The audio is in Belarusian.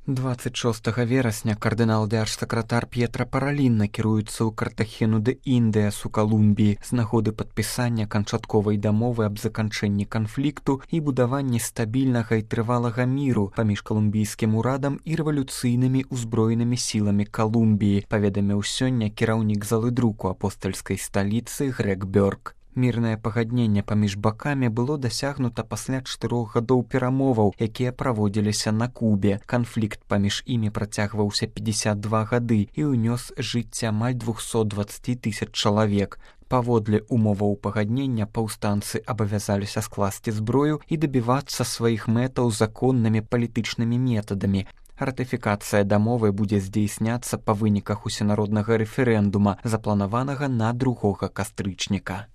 26 верасня кардынал дзяржсакратар П'етра Паралін накіруецца ў Картахену де Індіас у Калумбіі з нагоды падпісання канчатковай дамовы аб заканчэнні канфлікту і будаванні стабільнага і трывалага міру паміж калумбійскім урадам і рэвалюцыйнымі ўзброенымі сіламі Калумбіі, паведаміў сёння кіраўнік залы друку апостальскай сталіцы Грег Бёрк. Мірнае пагадненне паміж бакамі было дасягнута пасля 4 гадоў перамоваў, якія праводзіліся на Кубе. Канфлікт паміж імі працягваўся 52 гады і ўнёс жыцця амаль 220 000 чалавек. Паводле умоваў пагаднення паўстанцы абавязаліся скласці зброю і дабівацца сваіх мэтаў законнымі палітычнымі метадамі. Ратыфікацыя дамовы будзе здзейсняцца па выніках усенароднага рэферэндума, запланаванага на 2 кастрычніка.